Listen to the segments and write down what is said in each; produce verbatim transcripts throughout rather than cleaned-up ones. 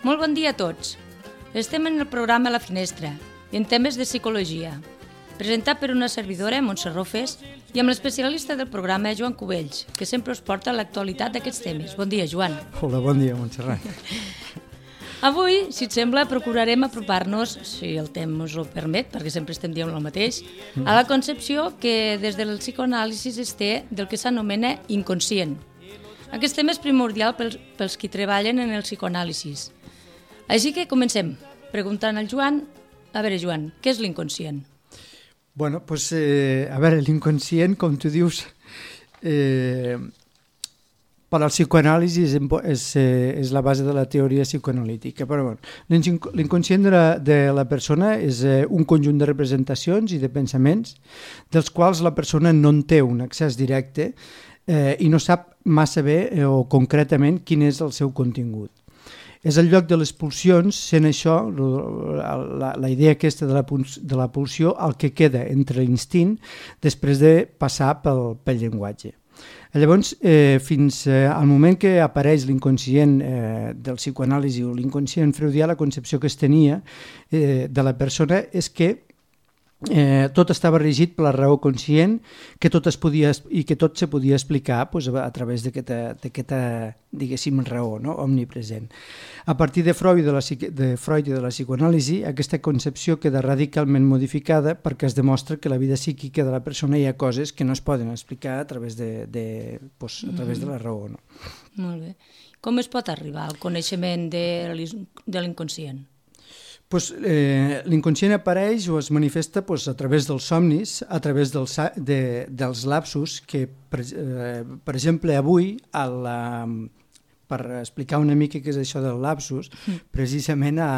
Molt bon dia a tots. Estem en el programa La Finestra i en temes de psicologia, presentat per una servidora, Montse Rofes, i amb l'especialista del programa, Joan Cubells, que sempre us porta l'actualitat d'aquests temes. Bon dia, Joan. Hola, bon dia, Montserrat. Avui, si et sembla, procurarem apropar-nos, si el temps us ho permet, perquè sempre estem dient el mateix, a la concepció que des del psicoanàlisi es té del que s'anomena inconscient. Aquest tema és primordial pels, pels qui treballen en el psicoanàlisi. Així que comencem, preguntant al Joan. A veure, Joan, què és l'inconscient? Bueno, doncs, eh, a veure, l'inconscient, com tu dius, eh, per al psicoanàlisi és, és, és la base de la teoria psicoanalítica. Però, bueno, l'inconscient de la, de la persona és eh, un conjunt de representacions i de pensaments dels quals la persona no en té un accés directe eh, i no sap massa bé eh, o concretament quin és el seu contingut. És el lloc de les pulsions, sent això, la, la idea aquesta de la, de la pulsió, el que queda entre l'instint després de passar pel, pel llenguatge. Llavors, eh, fins eh, al moment que apareix l'inconscient eh, del psicoanàlisi o l'inconscient freudià, la concepció que es tenia eh, de la persona és que Eh, tot estava regit per la raó conscient, que tot es podia, i que tot se podia explicar pues, a través d'aquesta, diguéssim, raó, no? Omnipresent. A partir de Freud, de, la, de Freud i de la psicoanàlisi, aquesta concepció queda radicalment modificada perquè es demostra que la vida psíquica de la persona hi ha coses que no es poden explicar a través de, de, pues, a través de la raó. No? Molt bé. Com es pot arribar al coneixement de, de l'inconscient? Pues, eh, l'inconscient apareix o es manifesta pues, a través dels somnis, a través dels, de, dels lapsus, que per, eh, per exemple avui, a la, per explicar una mica què és això del lapsus, mm. precisament a,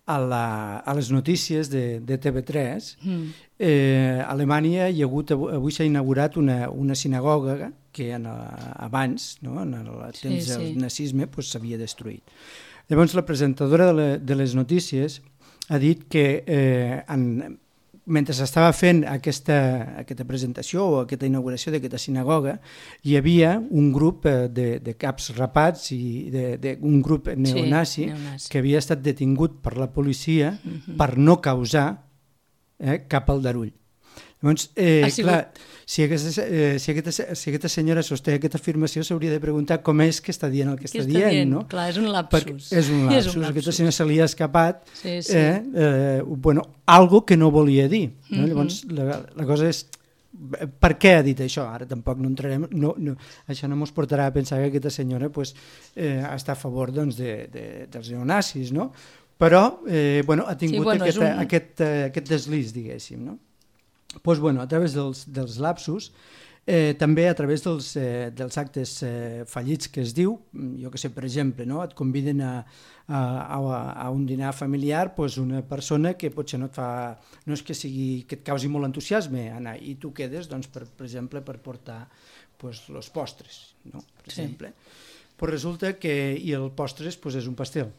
a, la, a les notícies de, de T V tres, mm. eh, a Alemanya hi ha hagut, avui s'ha inaugurat una, una sinagoga que en, abans, no, en el temps sí, sí. del nazisme, pues, s'havia destruït. Llavors, la presentadora de, la, de les notícies ha dit que eh, en, mentre s'estava fent aquesta, aquesta presentació o aquesta inauguració d'aquesta sinagoga, hi havia un grup eh, de, de caps rapats i de, de, un grup neonazi, sí, neonazi que havia estat detingut per la policia uh-huh. per no causar eh, cap aldarull. Llavors, eh, clar, si aquesta, eh, si, aquesta, si aquesta senyora sosté aquesta afirmació, s'hauria de preguntar com és que està dient el que, que està, està dient, dient, no? Clar, és un lapsus. Perquè és un lapsus. És un lapsus. Aquesta senyora se li ha escapat sí, sí. Eh, eh, bueno, algo que no volia dir. No? Uh-huh. Llavors, la, la cosa és, per què ha dit això? Ara tampoc no entrarem, no, no, això no ens portarà a pensar que aquesta senyora pues, eh, està a favor doncs, de, de, dels neonazis, no? Però, eh, bueno, ha tingut sí, bueno, aquest, un... aquest, uh, aquest deslís, diguéssim, no? Pues, bueno, a través dels, dels lapsus, eh, també a través dels, eh, dels actes eh, fallits que es diu, jo que sé, per exemple, no? Et conviden a, a, a, a un dinar familiar pues una persona que potser no et fa, no és que sigui que et causi molt entusiasme anar, i tu quedes, doncs, per, per exemple, per portar pues, los postres, no? Per sí. exemple. Pues resulta que, i el postres pues, és un pastel.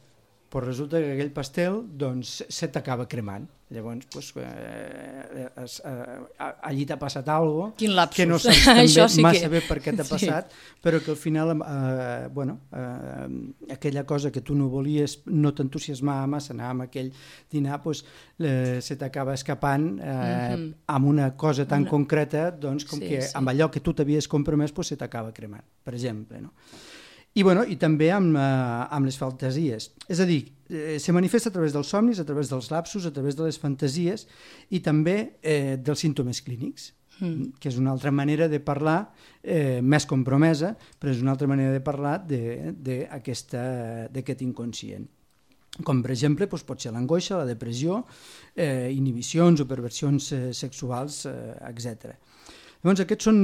Pues resulta que aquell pastel doncs, se t'acaba cremant. Llavors, pues, eh, es, eh, allí t'ha passat alguna cosa que no saps també sí massa que... bé per què t'ha passat, sí. però que al final eh, bueno, eh, aquella cosa que tu no volies, no t'entusiasmava massa anar amb aquell dinar, pues, eh, se t'acaba escapant eh, mm-hmm. amb una cosa tan una... concreta doncs, com sí, que sí. amb allò que tu t'havies compromès pues, se t'acaba cremant, per exemple, no? I, bueno, i també amb, eh, amb les fantasies. És a dir, eh, se manifesta a través dels somnis, a través dels lapsus, a través de les fantasies i també eh, dels símptomes clínics, mm. que és una altra manera de parlar, eh, més compromesa, però és una altra manera de parlar d'aquest inconscient. Com, per exemple, doncs, pot ser l'angoixa, la depressió, eh, inhibicions o perversions eh, sexuals, eh, etcètera. Llavors, aquests són,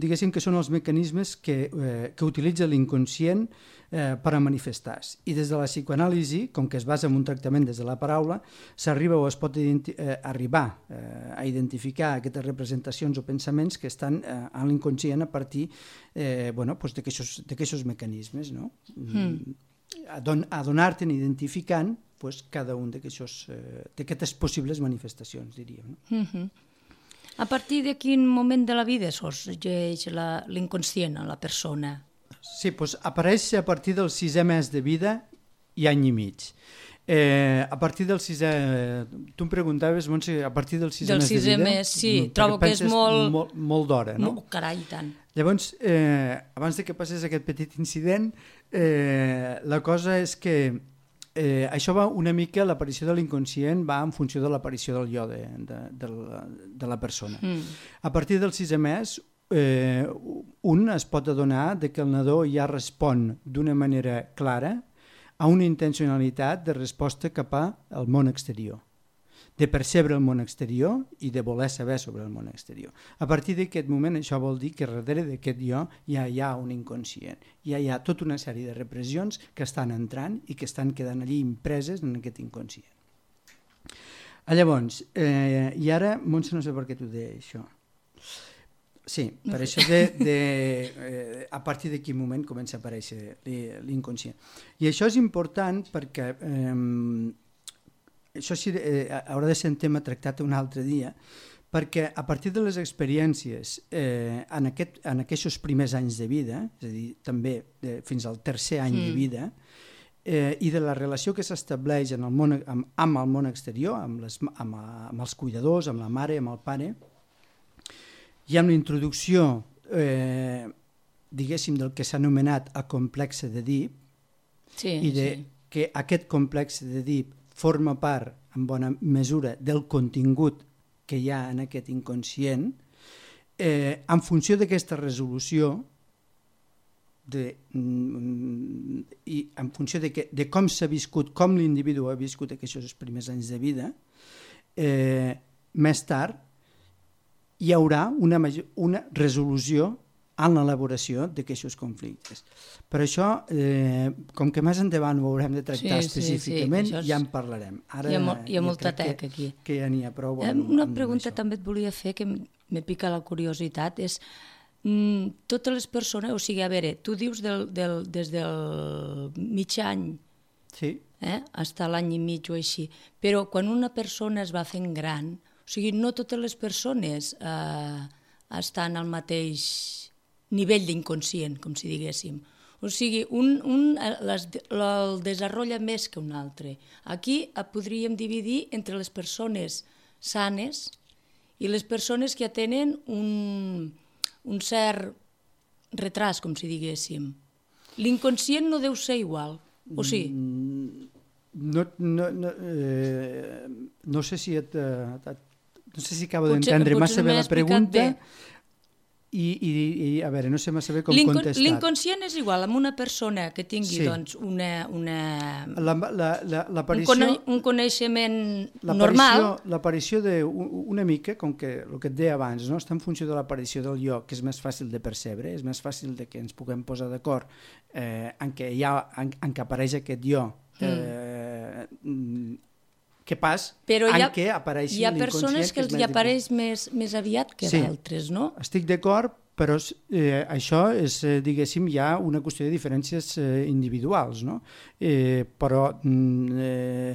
diguéssim, que són els mecanismes que, eh, que utilitza l'inconscient eh, per a manifestar-se. I des de la psicoanàlisi, com que es basa en un tractament des de la paraula, s'arriba o es pot identi- eh, arribar eh, a identificar aquestes representacions o pensaments que estan eh, en l'inconscient a partir eh, bueno, pues d'aquests mecanismes, no? Mm. Adonar-te'n identificant pues, cada un d'aquestes eh, possibles manifestacions, diríem. No? Mm-hmm. A partir de quin moment de la vida sorgeix l'inconscient a la persona? Sí, doncs apareix a partir del sisè mes de vida i any i mig. Eh, a partir del sisè... Tu em preguntaves, Montse, a partir del sisè del mes de sisè vida... mes, sí, trobo que és molt... Molt, molt d'hora, no? No, carai, tant. Llavors, eh, abans de que passés aquest petit incident, eh, la cosa és que eh, això va una mica, l'aparició de l'inconscient va en funció de l'aparició del jo de, de, de, la, de la persona. Mm. A partir del sisè mes, eh, un es pot adonar de que el nadó ja respon d'una manera clara a una intencionalitat de resposta cap al món exterior, de percebre el món exterior i de voler saber sobre el món exterior. A partir d'aquest moment això vol dir que darrere d'aquest jo ja hi ha un inconscient, ja hi ha tota una sèrie de repressions que estan entrant i que estan quedant allí impreses en aquest inconscient. Llavors, eh, i ara, Montse, no sé per què t'ho deia això. Sí, per això de, de, eh, a partir de quin moment comença a aparèixer l'inconscient. I això és important perquè eh, això sí, eh, haurà de ser un tema tractat un altre dia, perquè a partir de les experiències eh, en, aquest, en aquests primers anys de vida, és a dir, també eh, fins al tercer any mm. de vida, eh, i de la relació que s'estableix en el món, amb, amb el món exterior, amb, les, amb, amb els cuidadors, amb la mare, amb el pare, hi ha una introducció, eh, diguéssim, del que s'ha anomenat el complex d'Èdip, sí, i de sí. que aquest complex d'Èdip forma part, en bona mesura, del contingut que hi ha en aquest inconscient, eh, en funció d'aquesta resolució, de, mm, i en funció de, que, de com s'ha viscut, com l'individu ha viscut aquests primers anys de vida, eh, més tard, hi haurà una, una resolució en l'elaboració d'aquests conflictes. Per això, eh, com que més endavant ho haurem de tractar sí, específicament, sí, sí, és... ja en parlarem. Ara, hi ha, mo hi ha ja molta tec aquí. Que ja n'hi ha prou. Amb, eh, una amb pregunta això. També et volia fer, que me pica la curiositat, és mm, totes les persones, o sigui, a veure, tu dius del, del, des del mig any, sí. eh, fins a l'any i mig o així, però quan una persona es va fent gran, o sigui, no totes les persones eh, estan al mateix nivell d'inconscient, com si diguéssim. O sigui, un, un les, el desenvolupa més que un altre. Aquí podríem dividir entre les persones sanes i les persones que tenen un, un cert retras, com si diguéssim. L'inconscient no deu ser igual, o sí? No, no, no, eh, no sé si et... et No sé si acabo d'entendre massa bé la pregunta i, i, i, a veure, no sé massa bé com contestar. L'inconscient és igual amb una persona que tingui sí. doncs, una, una, la, la, la, un, cone, un coneixement normal. L'aparició d'una mica, com que el que et deia abans, no? Està en funció de l'aparició del jo, que és més fàcil de percebre, és més fàcil de que ens puguem posar d'acord eh, en, què hi ha, en, en què apareix aquest jo eh, mm. que pas però en ha, què apareixi hi ha persones que, que els hi apareix més, més aviat que sí, d'altres, no? Estic d'acord, però eh, això és, eh, diguéssim, ja una qüestió de diferències eh, individuals, no? Eh, però eh,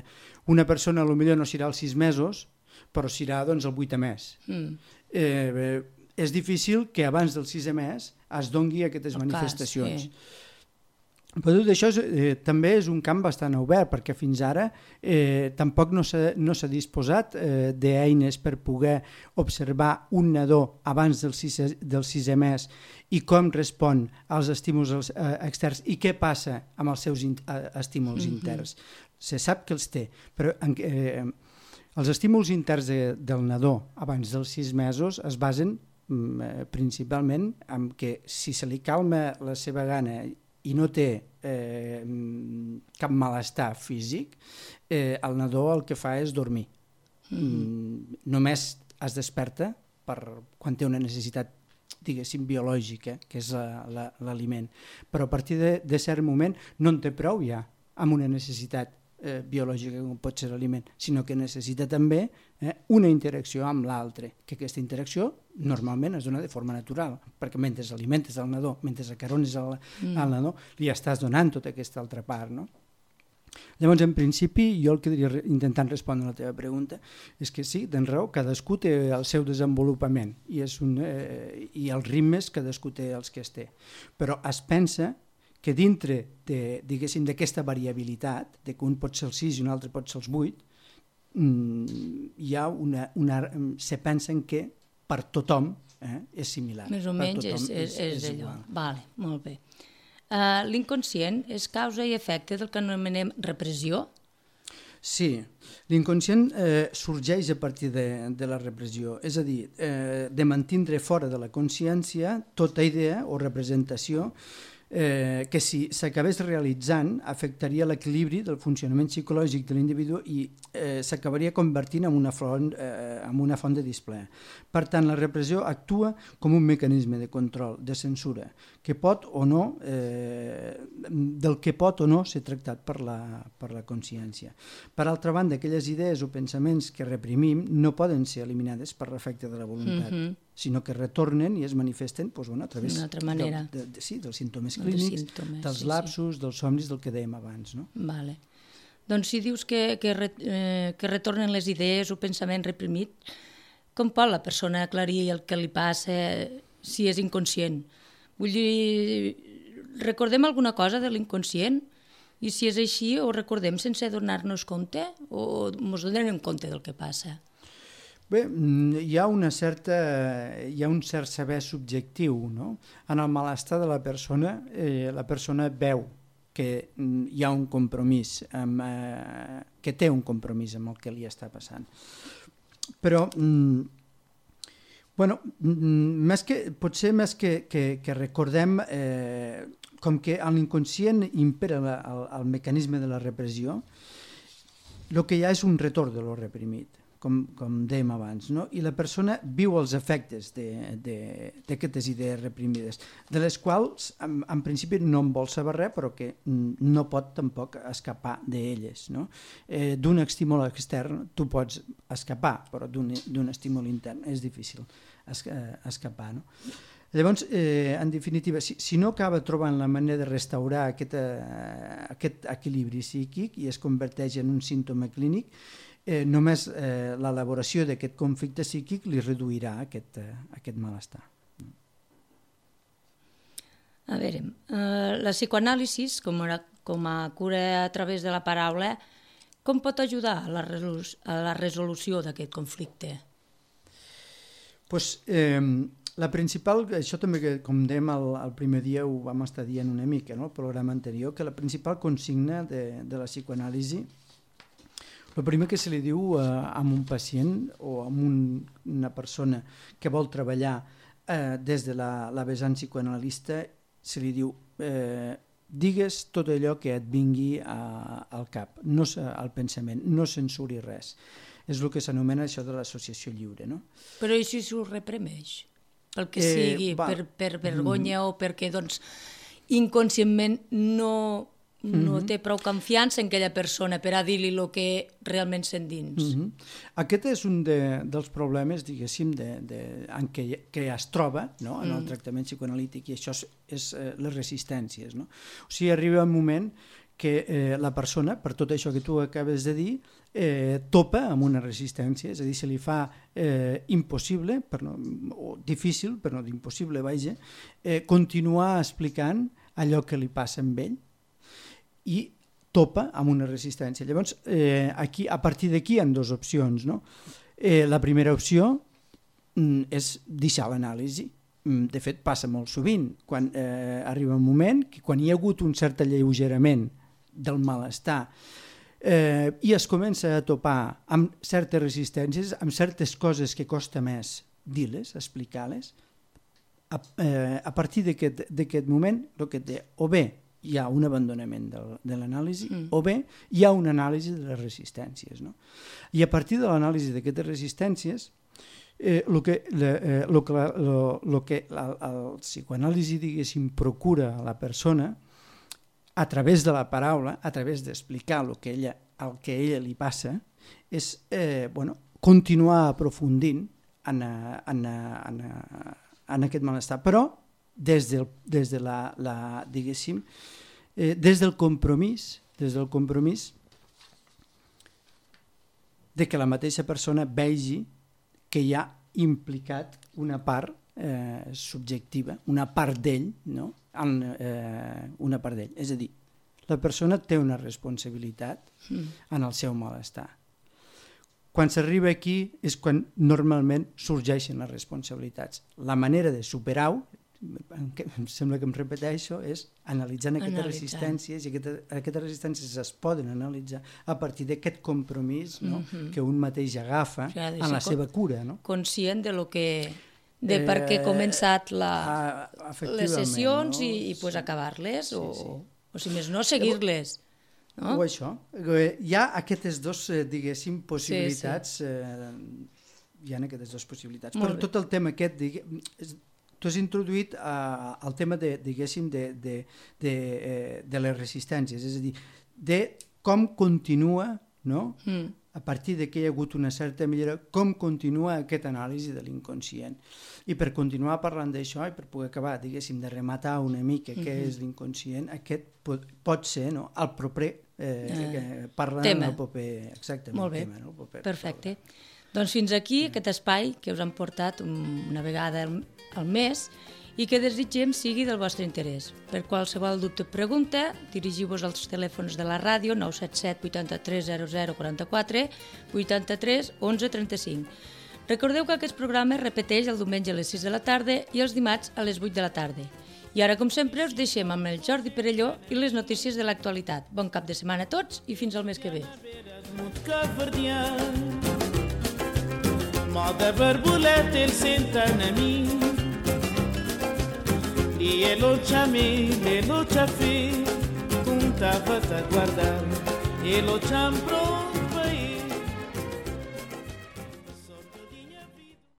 una persona potser no serà als sis mesos, però serà doncs, el vuitè mes. Mm. Eh, és difícil que abans del sisè mes es dongui aquestes el manifestacions. Cas, sí. Però tot això és, eh, també és un camp bastant obert, perquè fins ara eh, tampoc no s'ha no s'ha disposat eh, d'eines per poder observar un nadó abans del sisè, del sisè mes i com respon als estímuls eh, externs i què passa amb els seus in, eh, estímuls mm-hmm. interns. Se sap que els té, però eh, els estímuls interns de, del nadó abans dels sis mesos es basen mm, principalment en que si se li calma la seva gana i no té eh, cap malestar físic, eh, el nadó el que fa és dormir. Mm-hmm. Només es desperta per quan té una necessitat, diguéssim, biològica, que és l'aliment. Però a partir de, de cert moment no en té prou ja amb una necessitat eh, biològica com pot ser l'aliment, sinó que necessita també eh, una interacció amb l'altre, que aquesta interacció normalment es dona de forma natural, perquè mentre alimentes el nadó, mentre acarones el, mm. el nadó, li estàs donant tota aquesta altra part, no? Llavors, en principi, jo el que diria, intentant respondre a la teva pregunta, és que sí, tens raó, cadascú té el seu desenvolupament i, és un, eh, i els ritmes cadascú té els que es té. Però es pensa que dintre de, diguéssim, d'aquesta variabilitat, de que un pot ser el sis i un altre pot ser els vuit, hi ha una, una, se pensen que per tothom eh, és similar. Més o menys és, és, és, és allò. Vale, molt bé. Uh, l'inconscient és causa i efecte del que anomenem repressió? Sí, l'inconscient eh, sorgeix a partir de, de la repressió, és a dir, eh, de mantindre fora de la consciència tota idea o representació eh, que si s'acabés realitzant afectaria l'equilibri del funcionament psicològic de l'individu i eh, s'acabaria convertint en una, font, eh, en una font de displaer. Per tant, la repressió actua com un mecanisme de control, de censura, que pot o no, eh, del que pot o no ser tractat per la, per la consciència. Per altra banda, aquelles idees o pensaments que reprimim no poden ser eliminades per l'efecte de la voluntat, mm-hmm. sinó que retornen i es manifesten doncs, bueno, a través del, de, de, sí, dels símptomes clínics, símptomes, dels sí, lapsos, sí. dels somnis, del que dèiem abans. No? Vale. Doncs si dius que, que, eh, que retornen les idees o pensaments reprimits, com pot la persona aclarir el que li passa si és inconscient? Vull dir, recordem alguna cosa de l'inconscient? I si és així, ho recordem sense donar-nos compte o ens donem compte del que passa? Bé, hi ha, una certa, hi ha un cert saber subjectiu, no? En el malestar de la persona, eh, la persona veu que hi ha un compromís, amb, eh, que té un compromís amb el que li està passant. Però, bueno, més que, potser més que, que, que recordem, eh, com que a l'inconscient impera la, el, el mecanisme de la repressió, el que hi ha és un retorn de lo reprimit. Com, com dèiem abans, no? I la persona viu els efectes d'aquestes idees reprimides, de les quals en, en principi no en vol saber res, però que no pot tampoc escapar d'elles. No? Eh, d'un estímul extern tu pots escapar, però d'un estímul intern és difícil es, eh, escapar. No? Llavors, eh, en definitiva, si, si no acaba trobant la manera de restaurar aquest, eh, aquest equilibri psíquic i es converteix en un símptoma clínic, Eh, només eh, l'elaboració d'aquest conflicte psíquic li reduirà aquest, eh, aquest malestar. A veure, eh, la psicoanàlisi, com a, com a cura a través de la paraula, com pot ajudar a la, resolu- a la resolució d'aquest conflicte? Pues, eh, la principal, això també, que, com dèiem el, el primer dia, ho vam estar dient una mica, no? El programa anterior, que la principal consigna de, de la psicoanàlisi, el primer que se li diu eh, a un pacient o a un, una persona que vol treballar eh, des de la, la vessant psicoanalista, se li diu eh, digues tot allò que et vingui a, al cap, no, al pensament, no censuri res. És el que s'anomena això de l'associació lliure. No? Però i si s'ho reprimeix? Pel que eh, sigui, per, per vergonya mm. o perquè doncs, inconscientment no... no té prou confiança en aquella persona per a dir-li el que realment sent dins. Mm-hmm. Aquest és un de, dels problemes, diguéssim, de, de, en què, que es troba no? en el mm. tractament psicoanalític, i això és, és eh, les resistències. No? O sigui, arriba un moment que eh, la persona, per tot això que tu acabes de dir, eh, topa amb una resistència, és a dir, se li fa eh, impossible, per no, o difícil, però no d'impossible, vaja, eh, continuar explicant allò que li passa amb ell, i topa amb una resistència. Llavors, eh, aquí, a partir d'aquí hi ha dues opcions. No? Eh, la primera opció mm, és deixar l'anàlisi. Mm, de fet, passa molt sovint. Quan eh, arriba un moment que quan hi ha hagut un cert alleugerament del malestar eh, i es comença a topar amb certes resistències, amb certes coses que costa més dir-les, explicar-les, a, eh, a partir d'aquest moment, el que té, o bé hi ha un abandonament de, de l'anàlisi, mm. o bé hi ha una anàlisi de les resistències. No? I a partir de l'anàlisi d'aquestes resistències, eh, el que, la, eh, lo que, la, lo, lo que la, el psicoanàlisi, diguéssim, procura a la persona, a través de la paraula, a través d'explicar el que ella, el que a ella li passa, és eh, bueno, continuar aprofundint en, en, en, en aquest malestar, però des, del, des de la, la diguéssim, eh, des del compromís, des del compromís de que la mateixa persona vegi que hi ha implicat una part eh, subjectiva, una part d'ell, no? En, eh, una part d'ell. És a dir, la persona té una responsabilitat mm. en el seu malestar. Quan s'arriba aquí és quan normalment sorgeixen les responsabilitats. La manera de superar-ho, em sembla que em repeteixo, és analitzant aquestes Analitzant. resistències, i aquestes, aquestes resistències es poden analitzar a partir d'aquest compromís, no? mm-hmm. que un mateix agafa o sigui, en la seva cura. No? Conscient de lo que... de per què he començat la, eh, les sessions, no? i, i pues, sí. acabar-les, sí, o, sí. o si més no, seguir-les. No? O això. Hi ha aquestes dues, diguéssim, possibilitats, sí, sí. Eh, hi ha aquestes dues possibilitats. Molt Però bé. Tot el tema aquest, diguéssim, tu has introduït uh, el tema de, diguéssim, de, de, de, eh, de les resistències, és a dir, de com continua, no? Mm. a partir de que hi ha hagut una certa millora, com continua aquest anàlisi de l'inconscient. I per continuar parlant d'això, i per poder acabar, diguéssim, de rematar una mica mm-hmm. què és l'inconscient, aquest pot, pot ser, no?, el proper, eh, eh, parlant tema. el proper, exactament, Molt bé. tema. No? El proper, Perfecte. Doncs fins aquí mm. aquest espai que us han portat una vegada al, al mes i que desitgem sigui del vostre interès. Per qualsevol dubte o pregunta, dirigiu-vos als telèfons de la ràdio nou set set vuitanta-tres zero zero quaranta-quatre, vuitanta-tres onze trenta-cinc. Recordeu que aquest programa es repeteix el diumenge a les sis de la tarda i els dimarts a les vuit de la tarda. I ara, com sempre, us deixem amb el Jordi Perelló i les notícies de l'actualitat. Bon cap de setmana a tots i fins al mes que ve. Moda borboleta, ele senta na mim e ele chame, ele te fez, tu tava a guardar, ele te amprou.